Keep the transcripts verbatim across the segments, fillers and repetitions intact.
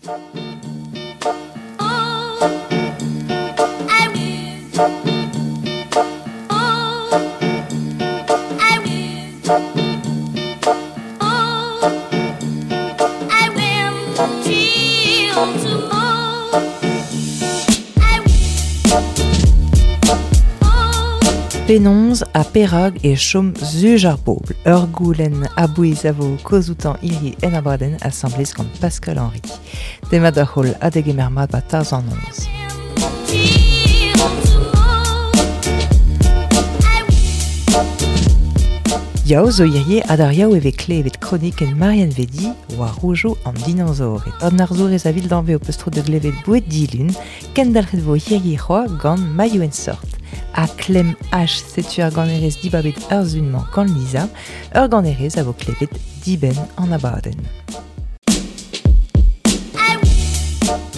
Penaos ha perag e chom zuj ar bobl. Ur goulenn a-bouez a vo kozoutan hiri en abadenn asamblez gant Pascal Henry. Demat ar c'holl ha degemer mat ba tarzh an noz. Yaou zo hirie ha d'ar yaou e vez klevet kronik en Marianne Vedi war roujo an dinosaored. An arzourez a vil d'anve o peus tro de glevet bouet dilun, kendalc'het vo hirie c'hoa gant maillot en sort. A Clem H setu ar ganerez dibabet ur zunmañ gant Lisa, ur ganerez a vo klevet dibenn an abadenn.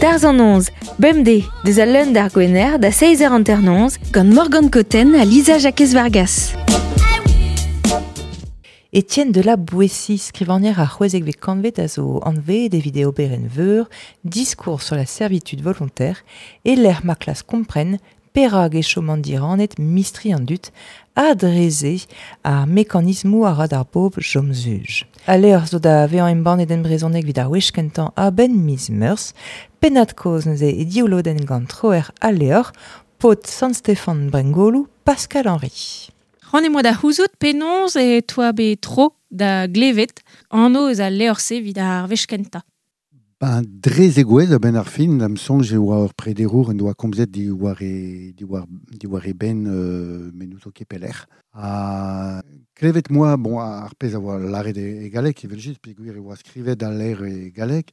Tarzh an noz, bemdez, deus al leun d'ar gwener da seizh eur hanter-noz gant Morgan Cotten ha Lisa Jacques Vargas. Étienne de la Boétie, skrivanier ar c'hwezekvet kantved a zo anvet evit e oberenn veur, discours sur la servitude volontaire, e lec'h ma klas kompren perag e chom an diranet mistri an dud a dreze ar mekanismoù a ra d'ar bobl chom zuj. A levr zo da vezañ embannet en brezhoneg evit ar wech kentañ a-benn miz Meurzh, pennad kozh neuze e div lodenn gant troer al levr, paotr Sant-Stefan Brengoloù, Pascal Henry. C'hoant eo da c'houzout penaos e toa bet tro da glevet anv eus al levr-se evit ar wech kentañ. Ben, dre zegouezh a-benn ar fin, da'm soñj e oa ur prederour en doa komzet diwar e, diwar, diwar e benn euh, me n'ouzo ket pelec'h. Ha klevet moa, bon, ar pezh a oa lâret e, e galleg, evel-just, peogwir e oa skrivet al levr e galleg,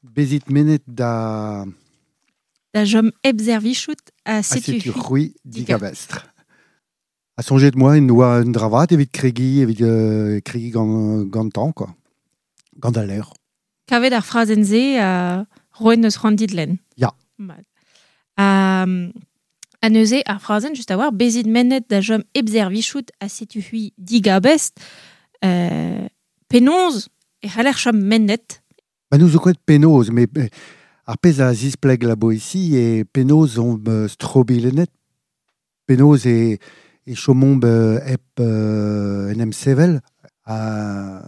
bezit menet da... Da chom hep servijout ha Ha setu setu c'hwi c'hwi digabestr. Ha soñjet moa en doa un dravat evit kregi, evit euh, kregi gant, gantañ, quoi. Gant al levr. Kavet ar frazenn-se a roet neus c'hoant dit lenn. Ya. Mat. Ha, ha neuze ar frazenn just a-walc'h, bezit mennet da chom hep servijout ha setu c'hwi digabest, euh, penaos e c'haller chom mennet. Ba nous zo ket penaos, mais euh, ar pezh a zispleg la Boétie e penaos on euh, strobilennet, penaos e, e chomomp euh, hep euh, en em sevel. Ha,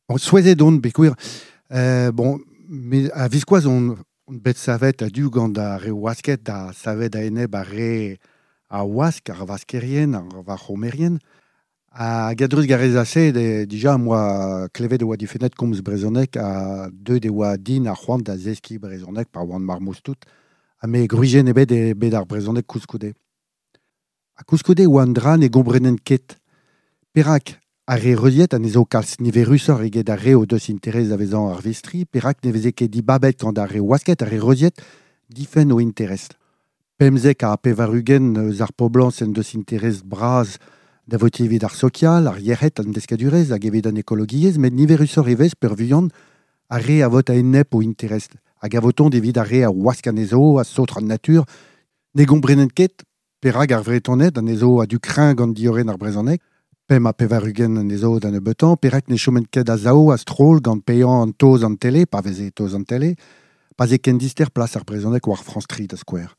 bon, souezhet on, peogwir, Euh, bon, me a viskoazh on, on bet savet a du gant ar re wasket da savet a eneb ar re a wask, ar vaskerien, ar varc'homerien. Ha gadruz garez ase, de, dija moa klevet e oa difennet komz brezhoneg ha deuet e oa din ar c'hoant da zeskiñ brezhoneg pa oan marmouz tout. Ha me gwrizienn ebet e bet ar brezhoneg koulskoude. Ha koulskoude oa an dra ne gomprenen ket. Perak ar re reuziet anezho kalz niverusoc'h eget ar re o deus interez da vezañ ar vistri, perak ne veze ket dibabet gant ar re wasket, ar re reuziet difenn o interest. Pemzek ha pevar-ugent eus ar poblañs en deus interez bras da votiñ evit ar sokial, ar yec'hed, an deskadurezh hag evit an ekologiezh, met niverusoc'h e vez peurvuiañ ar re a vot a-enep o interest. Hag a votont evit ar re a wask anezho, a saotr an natur. Ne gomprenen ket perak ar Vretoned anezho a du kreñv gant diorren ar brezhoneg, pemp ha pevar-ugent anezho da nebeutañ, perak ne choment ket a-sav a-stroll gant paeañ an taos an tele, pa veze taos an tele, pa ze ken dister plas ar brezhoneg war France tri da skouer.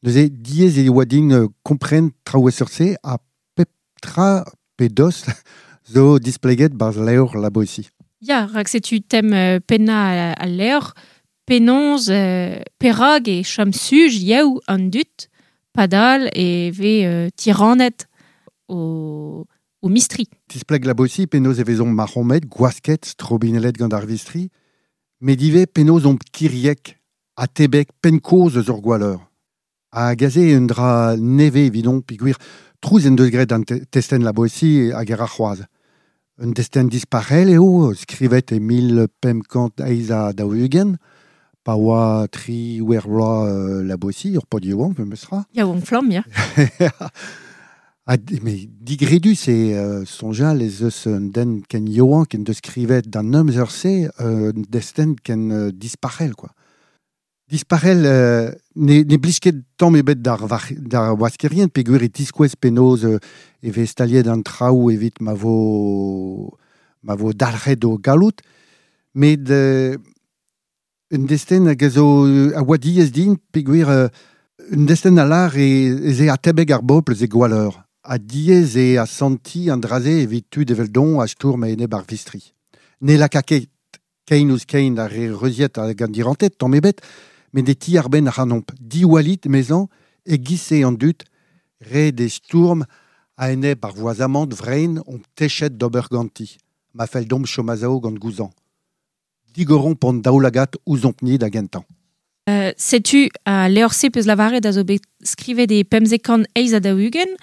Neuze diaes e oa din euh, kompren traoù e seurt-se ha pep tra pe dost zo displeget barzh levr la Boétie. Ya, rak setu tem euh, pennañ al levr, penaos euh, perag e chom suj yaou an dud, padal e vez euh, tiranet o, o mistri. Tispleg la Boétie penaos e vezont marc'homet, gwasket, strobinelet gant ar vistri, met ivez penaos omp kiriek ha tebek penn-kozh eus ur gwalleur. Hag aze un dra nevez evidon peogwir trouz en deus graet an te- testenn la Boétie hag er ar c'hoazh. Un destenn disparel eo, skrivet e mil pemp kant eizh ha daou-ugent, pa oa tri wer vloaz euh, la Boétie, ur paotr yaouank, memes tra. Yaouank flamm, ya. Ha, mais digredus e euh, soñjal ez eus un den ken yaouank en deus skrivet d'an amzer-se euh, un destenn ken euh, disparel, quoi. Disparel euh, ne, ne blij ket tamm ebet d'ar var- d'ar waskerien peogwir e tiskouez penaos euh, e vez staliet an traoù evit ma vo, ma vo dalc'het o galloud, met euh, Un destenn hag a zo a oa diez din, peogwir euh, un destenn a lar e, ez e atebeg ar bobl ze gwalleur. A diez e a santi an draze evit tud evel don a stourm a eneb ar vistri. Ne laka ket kein ouz kein ar re reuziet hag an dirantet, tamm ebet, met de ti ar ben ar anomp. Diwalit, mezan, e gise an dut, re de stourm a eneb ar voazamant vrein on techet d'ober ganti. Ma fell domp chomazao gant gouzan. Digoron pont daoulagat ouzomp-ni da gentan. Euh, setu a levr-se peus lavaret a zo bet skrivet e pemzek kant eizh ha daou-ugent,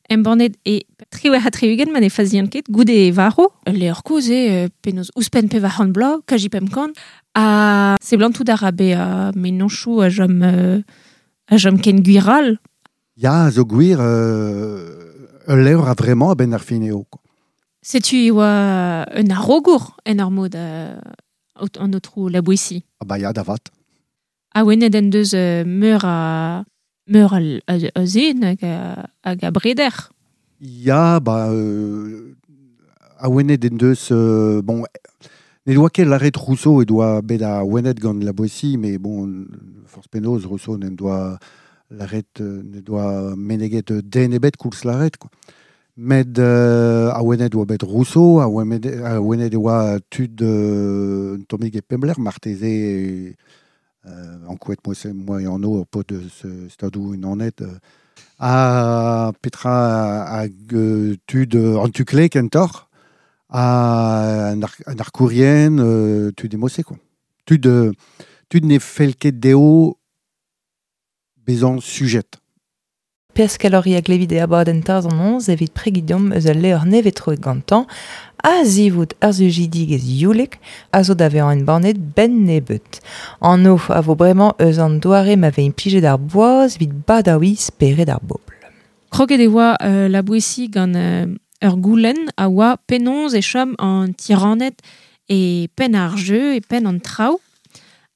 embannet e triwec'h ha tri-ugent ma ne fazian ket, goude e varv. Ul levr kozh eo, penaos ouzhpenn pevar c'hant bloaz, kaji pemp kant. Ha seblantout a ra bezañ mennozhioù a chom, euh, a chom ken gwir all. Ya, zo gwir, euh, ul levr a vraiment a-benn ar fin eo. Setu e oa un arogour en ur mod euh, an aotrou La Boétie. Ah bah ya, da vat. Awenet en deus euh, meur a meur a, a, a zen hag a, hag a breder. Ya, ba, euh, awenet en deus, euh, bon, ne doa ket lâret Rousseau e doa bet awenet gant La Boétie, mais bon, forzh penaos Rousseau n'en doa lâret, ne doa meneget den ebet koulz lâret, quoi. Met euh, awenet oa bet Rousseau, awenet, awenet e oa tud euh, un tammig e pemp lec'h, marteze euh, ankouaet moi moi en ur paotr eus Stadoù Unanet, euh, ha petra hag euh, tud an tu kle kentoc'h, ha an ar, an arkourien, euh, tud e-mod-se, quoi. Tud, euh, tud ne fell ket dezho bezañ sujet. Pascal Hori a glevit e abadenn Tarzh an Noz evit pregiñ deomp eus al levr nevez troet gantañ, a zivout ar sujidigezh youlek a zo da vezañ embannet benn nebeut. Anv a vo bremañ eus an doare ma vez implijet ar boaz evit badaouiñ spered ar bobl. Kroget e oa euh, La Boétie gant euh, ur goulenn a oa penaos e chom an tiraned e penn ar jeu e penn an traoù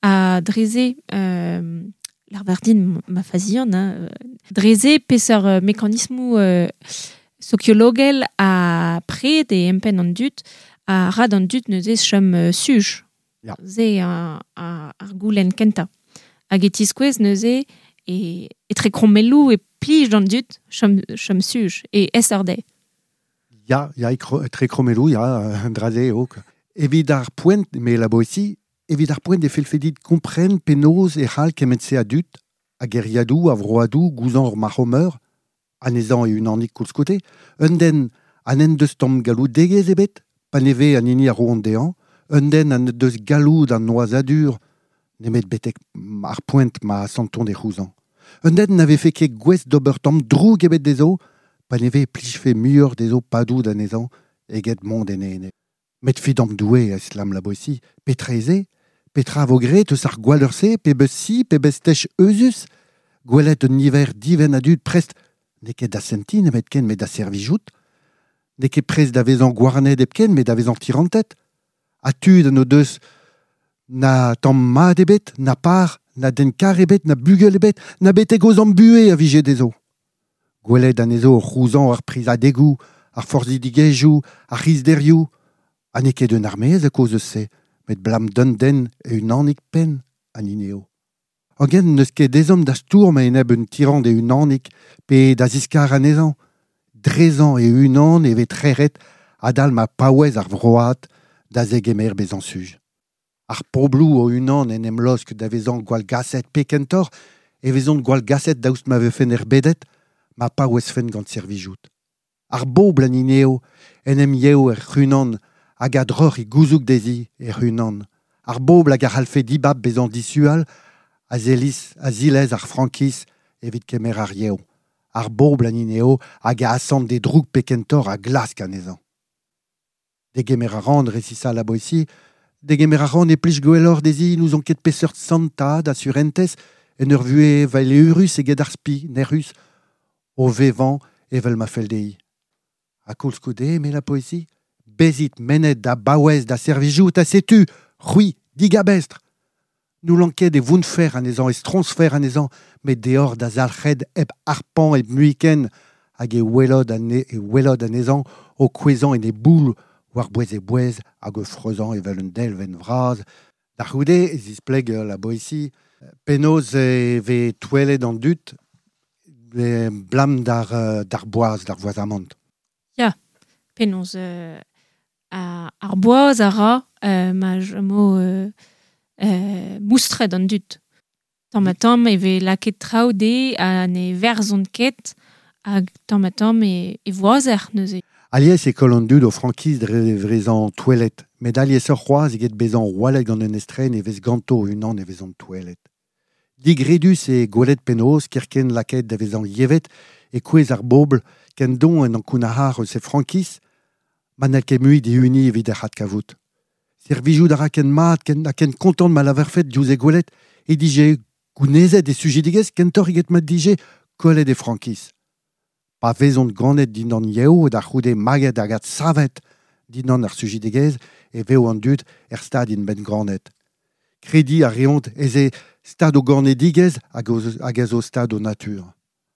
a dreze euh, L'arbardine ma fazian, hein, dreze peseurt euh, mekanismoù euh, sokiologel a pred e empenn an dud a rad an dud neuze chom euh, suj. Ya. Ze a, a, ar goulenn kentañ. Hag e tiskouez neuze e, etre krommelloù e plij d'an dud chom, chom suj e es ar dezhe. Ya, ya, etre krommelloù, ya, draze eo. Evit ar poent, me La Boétie, evit ar poent e fellfe dit kompren penaos e c'hall kement-se a dud, a geriadoù, a vroadoù, gouzañ ur marc'h-meur, anezhañ e unanik koulskoude, un den ha n'en deus tamm galloudegezh ebet, pa ne vez an hini a roont dezhañ, un den ha n'en deus galloud an noazadur, nemet betek ar poent ma santont e c'houzañ. Un den na vefe ket gouest d'ober tamm droug ebet dezho, pa ne vez plijfe muioc'h dezho padout anezhañ eget mont en ene. Met fidam Doue a islam La Boétie, petra ez eo, petra vo graet eus ar gwalleur-se, pe beus si, pe beus tech euzhus, gwelet un niver divenn a dud prest, n'eo ket da sentiñ nemetken met da servijout, n'eo ket prest da vezañ gouarnet hepken met da vezañ tirantet, ha tud an o deus na tamm mat ebet, na par, na den kar ebet, na bugel ebet, na betek o zamm buhez a vije dezho. Gwelet anezho o c'houzañ ar prizadegoù, ar forzhidigezhioù, ar c'hizderioù, ha n'eo ket un armez a kaoz eus se, met blam d'un den e unanik penn an hini eo. Hogen n'eus ket ezhomm da stourm a-enep un tirant e unanik pe da ziskar anezhañ. Drezañ e unan e vez trec'het adal ma paouez ar vroad da zegemer bezañ suj. Ar pobloù o unan en em laosk da vezañ gwallgaset pe kentoc'h e vezont gwallgaset daoust ma vefen erbedet, ma paouezfen gant servijout. Ar bobl an hini eo en em yev er c'hunan hag a droc'h e gouzoug dezhi er c'hunan. Ar bobl hag a c'hallfe dibab bezañ dishual a zeliz, a zilez ar frankiz evit kemer ar yev. Ar bobl an hini eo hag a asant d'e droug pe kentoc'h a glask anezhañ. Degemer a ran resisa La Boétie, degemer a ran e plij gwelloc'h dezhi n'ouzon ket peseurt santad a surentez en ur vuhez valeürus eget ar spi, nec'hus, o vevañ evel ma fell dezhi. Ha koulskoude, eme La Boétie, bezit mennet da baouez da servijout ha setu, c'hwi, digabestr. N'houlan ket e vounfer anezhañ, e stroñsfer anezhañ, met deoc'h da zalc'hed hep harpañ hep muiken, hag e welot ane, e welot anezhañ o kouezhañ en e boull war bouez e bouez hag o freuzañ evel un delvenn vras, Da c'houde e zispleg la Boétie, penaos e vez touellet an dud e blam d'ar, d'ar boaz, d'ar voazamant. Ya, penaos euh, ar boaz a ra euh, ma mo euh, euh, moustret an dud. Tamm ha tamm e vez lakaet traoù de ha ne verzont ket hag tamm ha tamm e, e voazer neuze. Alies e koll an dud o frankiz dre vrezan touellet, met alies ur c'hoaz eget bezan roalet gant un estren e vez ganto unan e vezan touellet. Digredus e gwelet penaos kerken lakaet da vezan yevet e kouez ar bobl ken don en ankounac'har eus e frankiz, ma n'hall ket mui dihuniñ evit ar c'had-kavout. Servijout a ra ken mat, ken, ha ken kontant ma lavarfet diouzh e gwelet e dije gounezet e sujidigezh kentoc'h eget ma dije kollet e frankiz. Pa vezont ganet dindan yev da c'houde maget hag adsavet dindan ar sujidigezh e vev an dud er stad int bet ganet. Krediñ a reont ez eo stad o ganedigezh hag hag ez o stad o natur.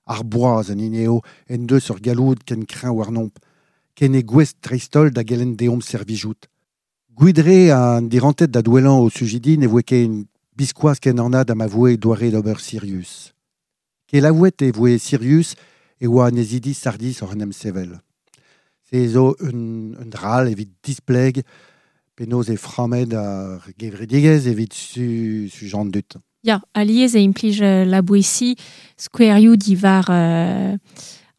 Ar boaz an hini eo en deus ur galloud ken kreñv warnomp, ken e gouest dreist-holl da gelenn deomp servijout. Gwidre an dirantet da douellañ o sujidi ne voe ket biskoazh ken anat ha ma voe doare d'ober Sirius. Kelaouet e voe Sirius e oa anezidi Sardis oc'h en em sevel. Se zo un, un dral evit displeg penaos e frammet ar gevredigezh evit su, su jan dut. Ya, alies e implij la Boétie skouerioù diwar euh,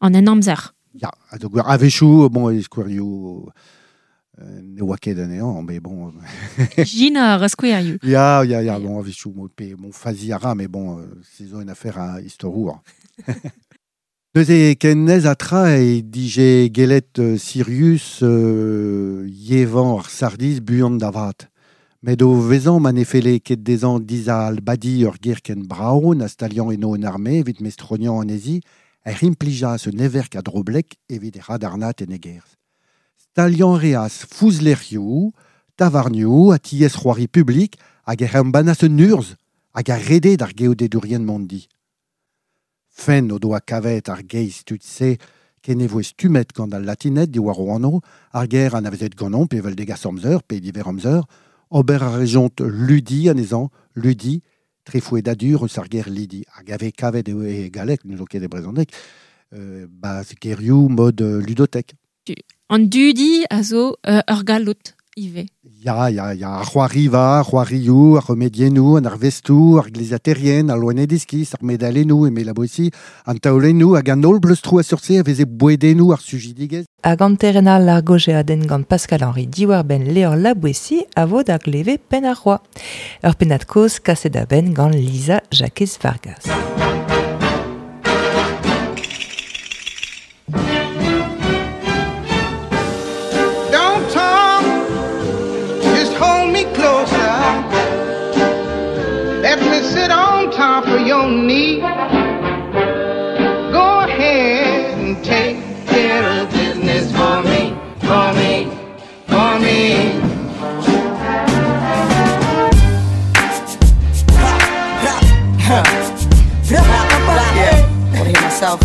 an en amzer. Ya, a gwir a-wechoù, bon, e skouerioù euh, ne oa ket anezhañ, mais bon... Gina ar skouerioù. Ya, ya, ya, bon, a-wechoù, mo, pe, bon, fazi a ra, mais bon, euh, se zo une affaire a istorour. Neuze ken nez a tra e dije gelet euh, Sirius euh, yevañ ar Sardis buan da vat. Met o vezañ ma ne felle ket dezhañ dizal badi ur ger ken brao na staliañ eno en arme evit mestroniañ anezhi er implijas un everk a droblek evit e radarnat en egerz. Staliañ reas fouzlerioù, tavarnioù ha tiez c'hoari publik hag er embannas un urzh hag a rede d'ar geodedourien mondi. Fen o doa kavet ar geiz tud-se ken e voe stummet gant al latinet diwar o anv, ar ger anavezet ganeomp pe evel degas amzer pe diver amzer, ober a rejont ludi anezhañ, ludi, trefouedadur eus ar ger lidi. Hag ave kavet eo e galleg, n'eus ket e brezhoneg, euh, ba gerioù mod ludotek. An dudi a zo euh, ur galloud ivez. Ya, ya, ya, ar c'hoariva, ar c'hoarioù, ar remediennoù, an arvestoù, ar glezaterien, ar loened-iskis, ar medalennoù, eme la Boétie, an taolennoù hag an holl bleustroù a seurt-se a veze bouedennoù ar sujidigezh. Hag an terrenal ar gojeadenn gant Pascal-Henri diwar-benn Levr la Boétie a vo da gleve penn ar roa. Ur pennad kozh kaset da benn gant Lisa Jakez Vargas. Don't talk, just hold me closer. Let me sit on top of your knee. Go ahead and take care of business for me, for me, for me. Yeah, wanna hear myself?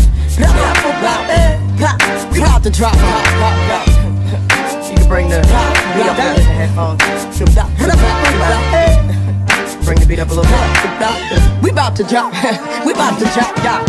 We about to drop. You can bring the beat up in the headphones. Bring the beat up a little bit. We about to drop. We about to drop. Yeah.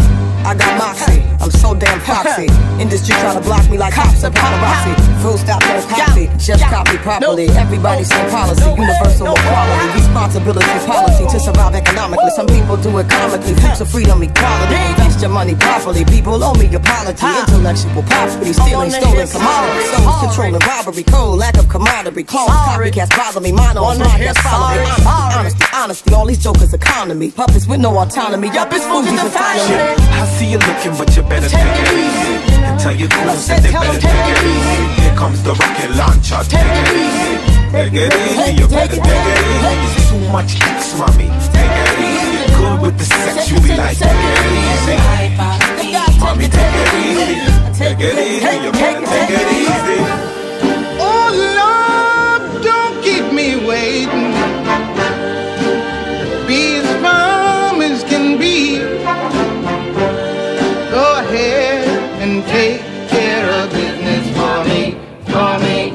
I got moxie, I'm so damn foxy. Industry trying to block me like cops and paparazzi. Full stop, no copy, just copy properly. Everybody same policy, universal equality. Responsibility policy to survive economically. Some people do it comically, fruits of freedom, equality. Invest your money properly, people owe me apology. Intellectual property, stealing, stolen commodities. Souls controlling robbery, code, lack of camaraderie. Clones, copycats bother me, mono, podcasts follow me. Honesty, honesty, all these jokers economy. Puppets with no autonomy, yup, it's Fuji's economy. I see you looking, but you better take it easy. And tell your goons that they better take it easy. Here comes the rocket launcher, take it easy. Take it easy, you better take it easy. It's too much X, mommy. Take it easy. Good with the sex, you be like, take it easy. Mommy, take it easy. Take it easy, you better take it easy. Oh, Lord, don't keep me waiting. Be as firm as can be. Go ahead and take care of business for me, for me,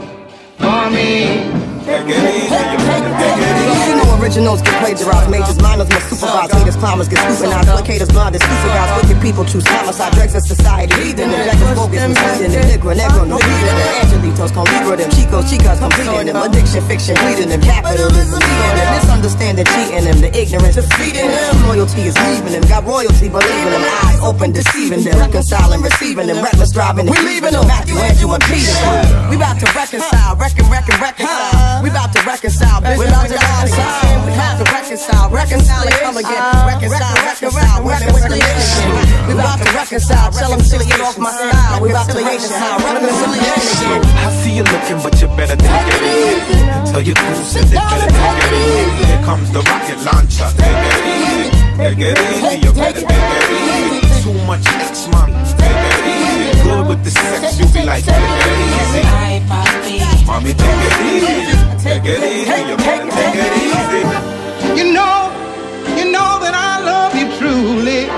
for me. Take it easy, you better take it easy. You know Originals get plagiarized, majors, minors must supervise. Haters, climbers get scrutinized, placaters, blinded, super guys. Wicked people choose homicide, dregs of society. Leading them, jackets, bogus, misleading them. Negro, negro, no leading them. Angelitos, con libra them. Chicos, chicas, completing them. Addiction, fiction, bleeding them. Capitalism, leading them. Misunderstanding, cheating them. The ignorance, defeating them. Loyalty is leaving them. Got royalty, believing them. Eyes open, deceiving them. Reconciling, receiving them. Reckless driving, we leaving them. Matthew, Andrew, and Peter. We bout to reconcile, reckon, reckon, reconcile. We bout to reconcile, we bout to reconcile. We bout to reconcile, reconcile and come again. Reconcile, reconcile, women with religion. We bout to reconcile, tell them to get off my style. We bout to reconcile, reconciliation again. I see you looking, but you better take it easy. Tell your goose that they better take it easy. Here comes the rocket launcher. Take it easy, take it easy. You better take it easy. Too much X, mommy. Take it easy. Good with the sex, you be like, take it easy. Mommy, take it easy. Take it easy. You better take it easy. You know, you know that I love you truly,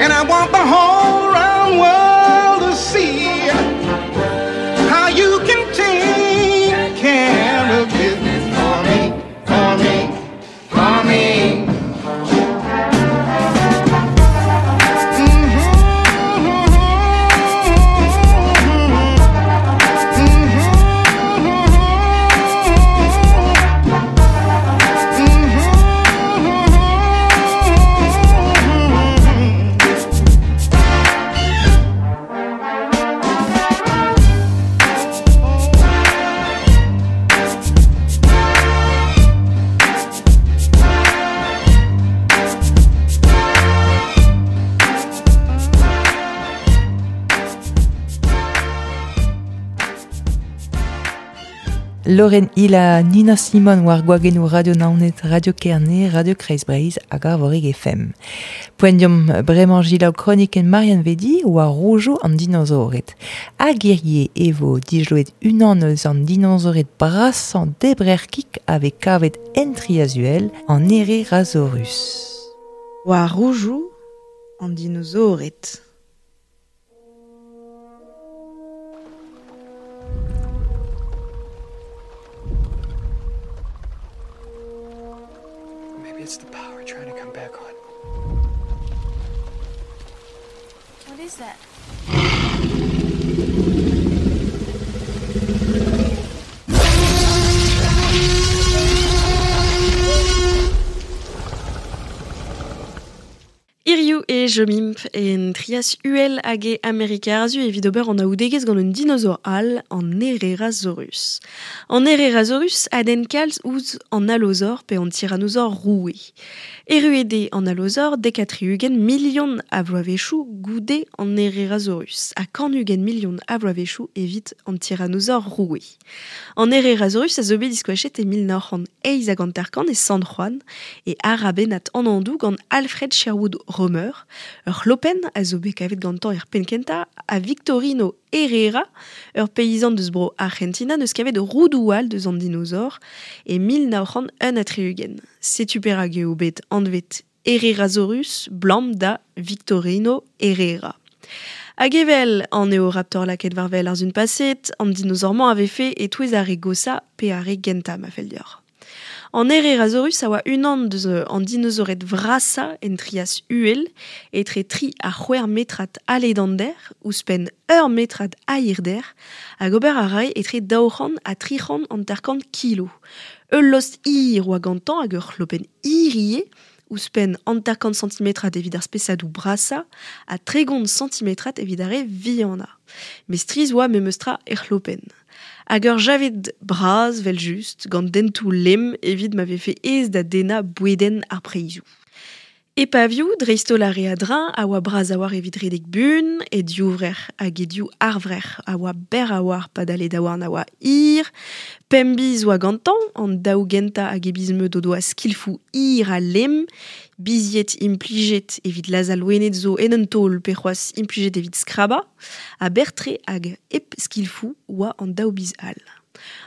and I want the whole round world to see how you can take care of business for me, for me, for me. Lauren Ila, Nina Simon war gwagennou Radio Naoned, Radio Kerne, Radio Kreiz Breizh hag Arvorig F M. Poent diom bremañ jilaou kronikenn Marianne Vedi war roujo an dinozored. Hag hirie e vo dijloet unan eus an dinozored brasañ debrer-kik ave kavet en Triazuel an Herrerasaurus. War roujo an dinozored. It's the power trying to come back on. What is that? Iriou e jomimp en trias uel hag e Amerika arzu evit ober an aoudegezh gant un dinosaur all an Herrerasaurus. An Herrerasaurus a den kalz ouzh an allosaur pe an tyrannosaur roue. Erruet an allosaur dek ha tri-ugent milion a vloavezhioù goude an Herrerasaurus ha kant-ugent milion a vloavezhioù evit an tyrannosaur roue. An Herrerasaurus a zo bet diskoachet e mil nav c'hant eizh hag hanter-kant e San Juan e arabenat an andoù gant Alfred Sherwood Romer, ur c'hlopenn a zo bet kavet gantañ er penn-kentañ a Victorino Herrera, ur peizant deus bro Argentina neus kavet roudoù all deus an dinosaur e mil nav c'hant un ha tri-ugent. Setu perak eo bet anvet Herrerasaurus blam da Victorino Herrera. Hag evel an eoraptor lakaet war wel ar zun paset, an dinosaur-mañ a vefe e-touez ar re gosa pe ar re gentañ ma fell deoc'h. An Herrerasaurus a oa unan deus an dinosaored vrasañ en trias uhel, etre tri ha c'hwec'h metrad a ledander, ouzhpenn ur metrad a hirder, hag ober a rae etre daou c'hant ha tri c'hant hanter-kant kilo. Ul lost hir oa gantañ hag ur c'hlopenn hir ivez, ouzhpenn hanter-kant santimetrad evit ar spesadoù brasañ ha tregont santimetrad evit ar re vihanañ. Met strizh oa memestra er c'hlopenn. Hag ur javed bras, vel just, gant dentoù lemm evit ma vefe aes da dennañ bouedenn ar preizhoù. E pavioù, dreist-holl ar re a-dreñv, a oa bras a-walc'h evit redek buan, e divrec'h hag e div arvrec'h a oa berr a-walc'h padal e daouarn a oa hir, pemp biz oa gantañ, an daou gentañ hag e biz-meud o doa skilfoù hir ha lemm, bizied implijet evit lazhañ loened zo en un taol pe c'hoazh implijet evit skrabañ, ha berr-tre hag hep skilfoù oa an daou biz all.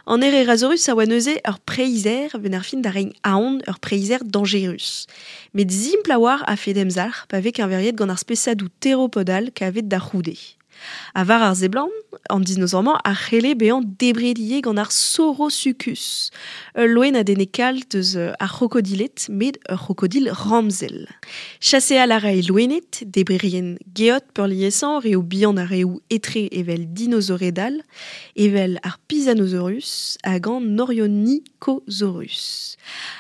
An Herrerasaurus a oa neuze ur preizher ben ar fin da reiñ aon ur preizher dañjerus. Met simpl a-walc'h a fed emzalc'h pa vez keñveriet gant ar spesadoù teropodal kavet da c'houde. A var ar zeblant, an dinosaur-mañ a c'helle bezañ debret ivez gant ar Saurosuchus. Ul loen a denne kalz deus ar c'hrokodilet, met ur c'hrokodil ramzel. Chaseal a rae loened, debrerien geot peurliesañ, reoù bihan ha reoù etre evel dinosaured all, evel ar Pisanosaurus hag an Orionicosaurus.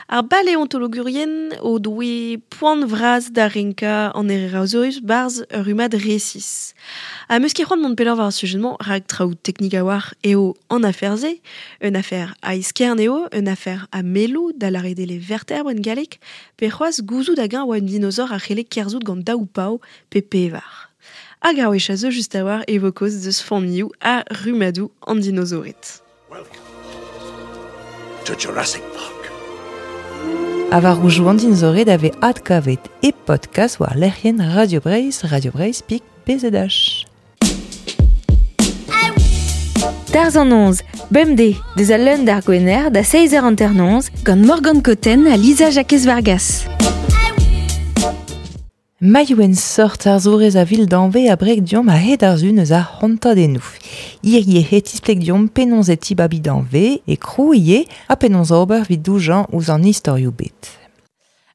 Ar baleontologourien o doe poan vras da renkañ an Herrerasaurus barzh ur rummad resis. Ha meus ket c'hoant mont pelloc'h war ar sujet-mañ rak traoù teknik a-walc'h eo an afer-se, un afer a eskern eo, un afer a melloù da lâret eo vertebr en galleg, pe c'hoazh gouzout hag-eñ oa un dinosaur a c'helle kerzhout gant daou pav pe pevar. Hag ar wech a zo just a-walc'h e vo kaoz deus familhoù ha rummadoù an dinosaured. Welcome to Jurassic Park. A war roujoù an dinosaured a vez adkavet e podcast war lec'hienn Radio Breizh, Radio Breizh pik B Z H. Tarzh an noz, bemdez, deus al leun d'ar gwener da seizh eur hanter-noz gant Morgan Cotten ha Lisa Jakez Vargas. Maiouen sort ar zourez a vil d'anve a breg diomp a hed ar zun eus ar c'hontadennoù. Hirie he tispleg diomp penaos e tibabi d'anve e krou ie ha penaos ober vid doujañ ouzh an istorioù bet.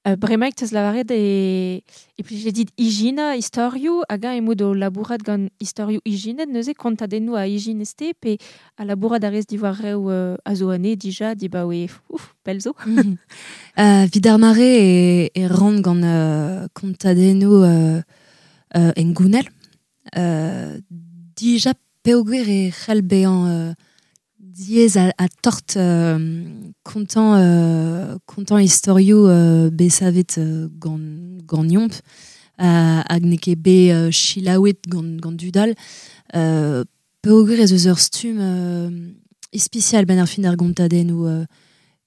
Euh, bremaik teus lavaret e, e plije dit ijina istorioù hag eñ emaout o labourat gant istorioù ijinet neuze kontadennoù a ijinez-te pe a labourat a rez diwar reoù euh, a zo anezhe dija dibaoe ouf, pell zo. Mm-hmm. Euh, vid ar mare e, e ran gant euh, kontadennoù euh, euh, engounel. Euh, dija peogwir e c'hell bezañ euh, diaes a, a tort euh, kontañ, euh, kontañ istorioù euh, bet savet euh, gant, gant yomp, euh, hag n'eo ket bet euh, selaouet gant, gant dudal. Euh, peogwir ez eus ur stumm euh, ispisial ben ar fin ar gontadennoù. Euh,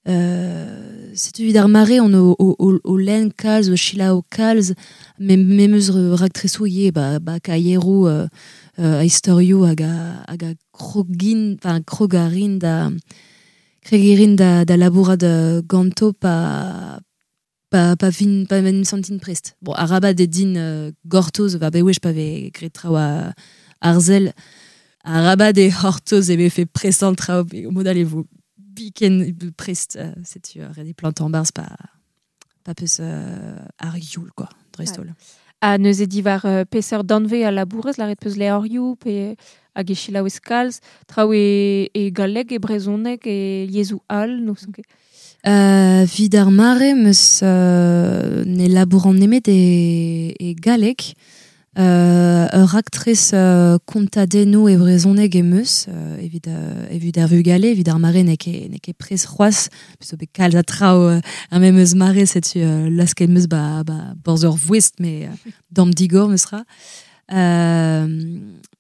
euh, setu evit ar mare on o, o, o, o lenn kalz, o selaou kalz, me, me meus raktresoù ivez, ba, ba kaieroù, euh, euh, a istorioù hag a, hag a krogin, enfin, krogarin da, kregirin da, da labourat, euh, ganto pa, pa, pa fin, pa men sentin prest. Bon, arabat eo din, euh, gortoz, va bewech pa vez graet traoù a, arzel, arabat eo c'hortoz e vefe presant traoù, pe mod all e vo biken prest, euh, setu, euh, ret eo plantañ barzh pa, pa peus, euh, ar youl, quoi, dreist-holl. Ouais. Ha neuze diwar, euh, peseurt danvez a labourez, lâret peus levrioù pe hag e selaouez kalz, traoù e, e galleg, e brezhoneg, e yezhoù all, n'ouzon ket. Euh, vid ar mare, meus, euh, ne labouran nemet e, e galleg. Euh, ur raktres, euh, kontadennoù e brezhoneg em eus, euh, evit, euh, evit ar vugale, evit ar mare n'eo ket, n'eo ket prest c'hoazh, peus zo bet kalz a traoù, euh, ar memes mare, setu, euh, lasket em eus ba, ba borzh ur voest, mais, euh, damm digor meus ra. Euh,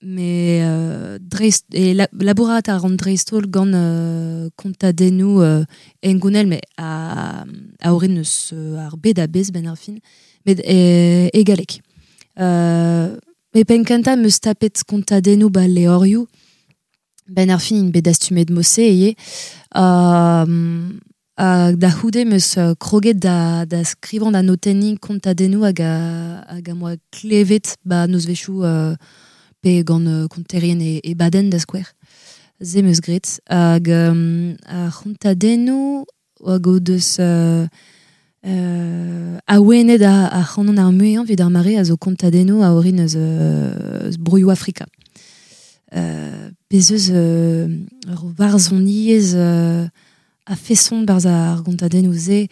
mais, euh, dreist, e la, labourat a ran dreist-holl gant, euh, kontadennoù, euh, engounel, mais a, a orin eus, euh, ar bed a-bezh ben ar fin, met e, e galleg. Euh, me penn kentañ meus tapet kontadennoù ba levrioù, ben ar fin int bet dastumet mose ivez. Euh, hag da c'houde meus, euh, kroget da, da skrivañ da notenniñ kontadennoù hag a, hag a moa klevet ba nozvezhioù, euh, pe gant, euh, konterien e, e baden da skouer. Se meus graet. Hag, euh, ar c'hontadennoù hag o deus, euh, euh, awenet a, a c'hanon ar muiañ evit ar mare a zo kontadennoù a orin eus, euh, eus broioù Afrika. Euh, bez eus, euh, ur varzhoniezh, euh, a feson barzh ar gontadennoù se,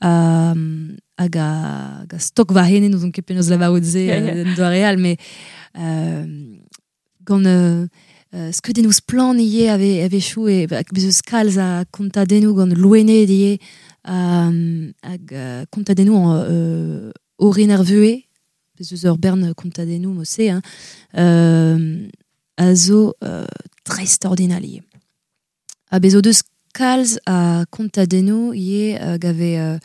euh, hag a, hag a stok war hene, n'ouzon ket penaos lavarout se, Ya, ya. euh, en doare all, mais, euh, gant, euh, euh, skeudennoù splann ivez ave, a-wechoù, e, ba, bez eus kalz a kontadennoù gant loened ivez, euh, hag, euh, kontadennoù en, euh, orin ar vuhez, bez eus ur bern kontadennoù mose, hein, euh, a zo, euh, dreist-ordinal ivez. Ha bez o deus kalz a kontadennoù ivez, euh, gave, euh,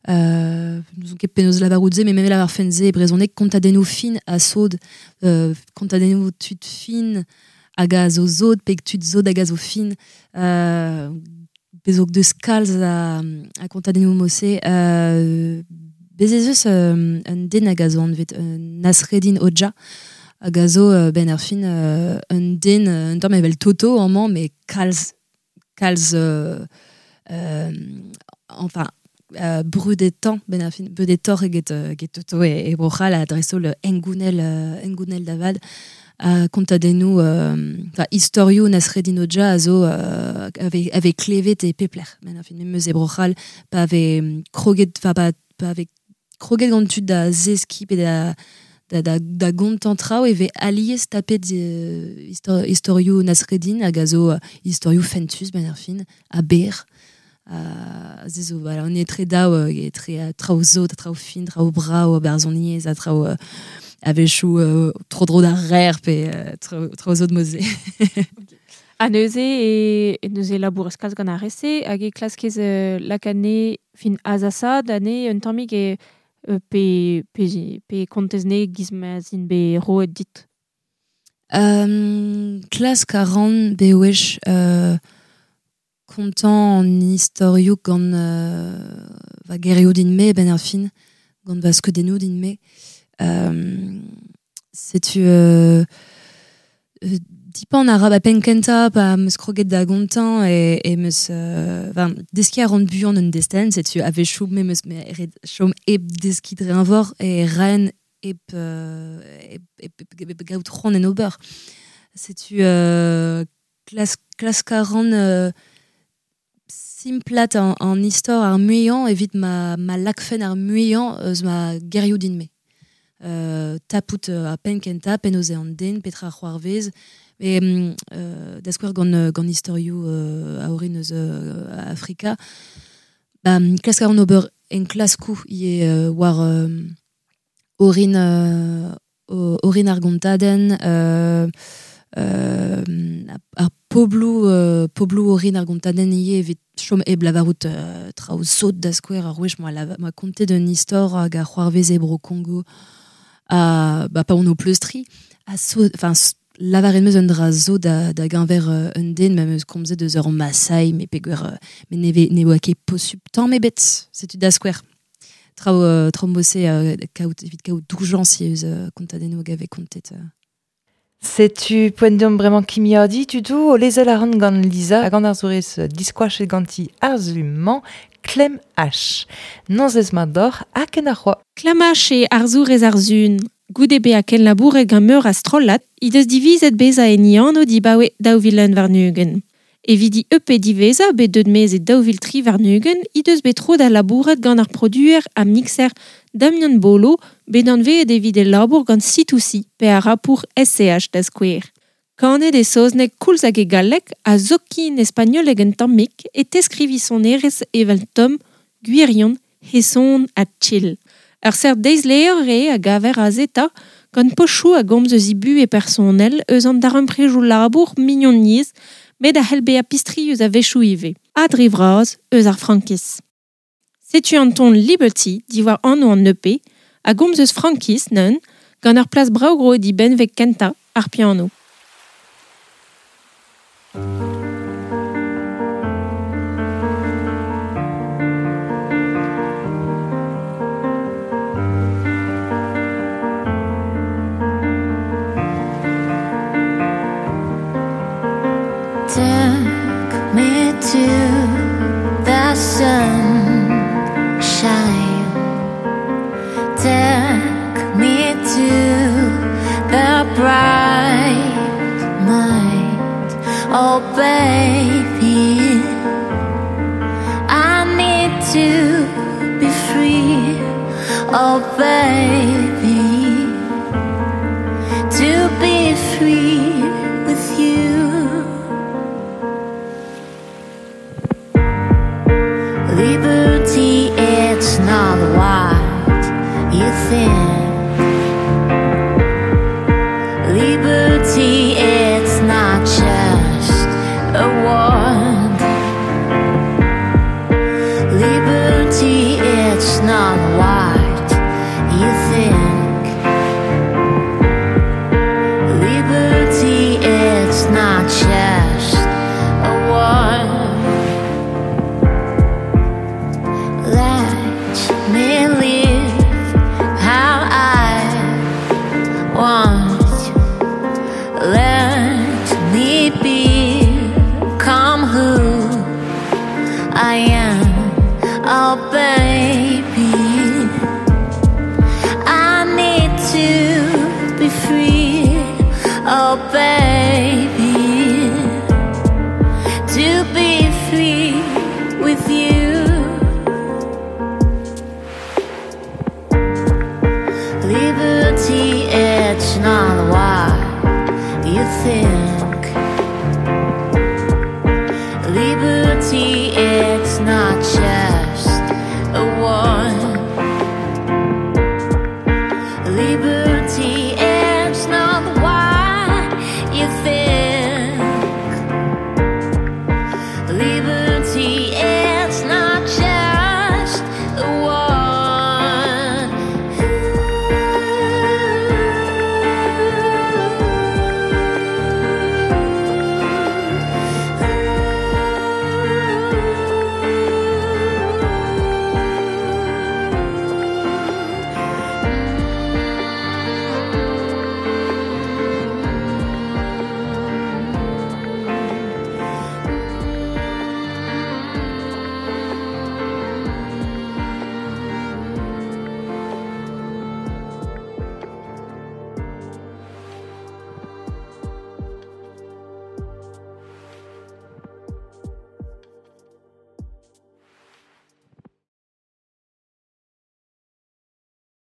euh, n'ouzon ket penaos lavarout se, mais même lavar fen se e brezhoneg, kontadennoù fin a sod, euh, kontadennoù tud fin hag a zo zod, pe tud zod hag a zo fin, euh, bez o deus kalz a, a kontadennoù mose, euh, bez ez eus, euh, un den hag a zo anvet, euh, Nasreddin Hodja, Hag a zo euh, ben ar fin euh, un den, un tamm evel Toto amañ, mais kalz, kalz euh, euh, enfin euh, brudetan ben ar fin, brudetor eget, eget Toto e, e Bro-C'hall a dreist-holl engounel, euh, engounel davad a kontadennoù euh, enfin istorioù Nasreddin Hodja a zo euh, ave, ave klevet e pepler ben ar fin, memes e Bro-C'hall pa ave kroget, enfin pa, pa ave kroget gant tud da zeski pe da da, da, da gontan traoù e ve alies tapet euh, histor, istorioù Nasreddin hag a zo uh, istorioù fentus ben ar fin, a ber a ze zo, voilà, on est tre daou euh, tre uh, traoù zo, traoù fin, traoù brao, a barzhoniezh, a traoù euh, a-wechoù euh, tro dro d'ar rer pe euh, traoù, traoù zo de moze. A neuze e, e neuze labour eus kalz gant ar rese, hag e klaskez euh, lakane fin azasad ane un tammig e pe, pe, pe kontez ne giz ma zin be roet dit. Euh, klask a ran bewech euh, kontant an istorioù gant euh, va gerioù din me ben ar fin, gant va skeudennoù din me. Euh, setu euh, euh, dipan ar a pen kenta pa meus kroget da gontan e, e meus euh, enfin, deski a ran buan un desten, setu a-wechoù me meus me ret chom hep deski dre envor e raen hep, euh, hep, hep, hep, hep gaout c'hoant en ober. Setu euh, klas, klask a ran euh, simplat an, an istor ar muiañ evit ma, ma lakfen ar muiañ eus ma gerioù din me. Euh, tapout euh, a pen kenta, pen oze an den, petra c'hoarvez, e euh, da skouer gant, gant istorioù euh, a orin eus euh, Afrika, ba, klask a ran ober en klaskou ie euh, war euh, orin, euh, orin ar gontadenn, euh, euh, ar poblou, euh, poblou orin ar gontadenn ie evit chom hep lavarout euh, traoù sot da skouer ar wech moa, lava, moa kontet un istor hag a c'hoarvez e bro Kongo a, ba, pa on o pleustri, a so, enfin, lavaret meus un dra zo da, da gañver euh, un den, ma meus komzet eus ur Masai, me peogwir euh, me neve ne oa ket posub tamm ebet, setu da skouer. Traoù euh, traoù mose euh, kaout, evit kaout doujañs eus euh, kontadennoù hag ave kontet. Euh. Setu poent deomp bremañ kimiadi tudoù o lezel a ran gant Lisa hag an arzourez diskoachet ganti arzu-mañ Clem H. Nanzez mat d'or ha ken ar c'hoa. Clem H e arzourez arzun. Goude bezañ ken labouret gant meur a strollad, he deus divizet bezañ en anv dibaoe daou vil un warn-ugent. Evit di E P diwezhañ bet deut maez e daou vil tri warn-ugent, he deus bet tro da labourat gant ar produer ha mixer Damien Bolo, bet anveet evit e labour gant C deux C, pe ar rapour S C H da skouer. Kanet e saozneg koulz hag e galleg a zokin espagnoleg un tammig e teskrivi sonerezh evel Tom, gwirion, heson ha chill. Ur seurt deizlevr eo a gaver a zeta gant pochoù a gomz eus ibu e personel eus an daremprejoù labour mignoniezh met a c'hell bezañ pistri eus a-wechoù ivez. Ha dre vras eus ar frankiz. Setu an ton Liberty diwar anv an E P a gomz eus frankiz neun gant ur plas brav gro di benveg kentañ ar piano. Take me to the sunshine. Take me to the bright night. Oh baby, I need to be free. Oh baby, to be free with you. Liberty, it's not what you think. Liberty, it's not just a word. Liberty, it's not